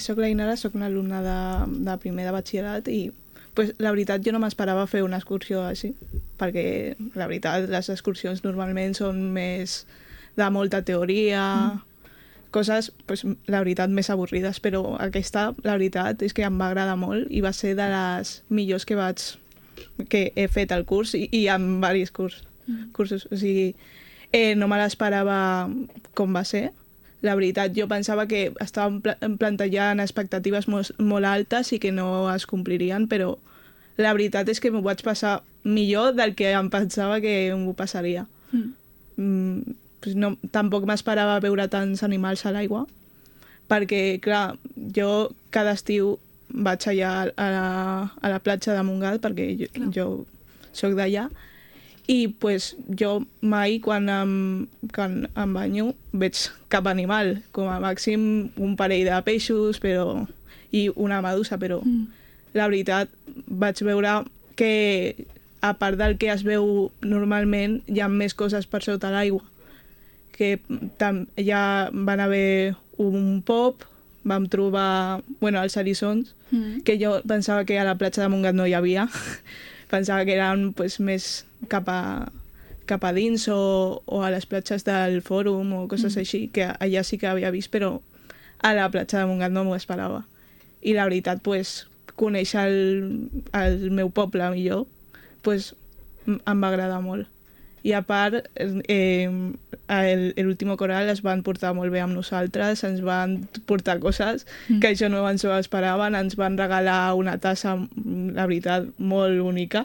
Soc l'Ainara, soc una alumna de primer de batxillerat i pues, la veritat jo no m'esperava fer una excursió així, perquè la veritat les excursions normalment són més de molta teoria, coses, pues, la veritat, més avorrides, però aquesta, la veritat, és que em va agradar molt i va ser de les millors que he fet al curs i en diversos cursos. O sigui, no me l'esperava com va ser. La veritat, jo pensava que estàvem plantejant expectatives molt altes i que no es complirien, però la veritat és que m'ho vaig passar millor del que em pensava que m'ho passaria. Pues no, tampoc m'esperava veure tants animals a l'aigua, perquè, clar, jo cada estiu vaig allà a la platja de Montgat, perquè jo soc d'allà, i pues, jo mai, quan em banyo, veig cap animal, com a màxim un parell de peixos i una medusa, però la veritat vaig veure que, a part del que es veu normalment, hi ha més coses per sota l'aigua, que ja van haver un pop, vam trobar els eriçons, que jo pensava que a la platja de Montgat no hi havia, pensava que eren pues, més cap a dins o a les platges del Fòrum o coses així, que allà sí que havia vist, però a la platja de Montgat no m'ho esperava. I la veritat, pues, conèixer el meu poble millor, pues, em va agradar molt. I a part, l'últim coral es van portar molt bé amb nosaltres, ens van portar coses que això no ens ho esperaven, ens van regalar una tassa, la veritat, molt bonica,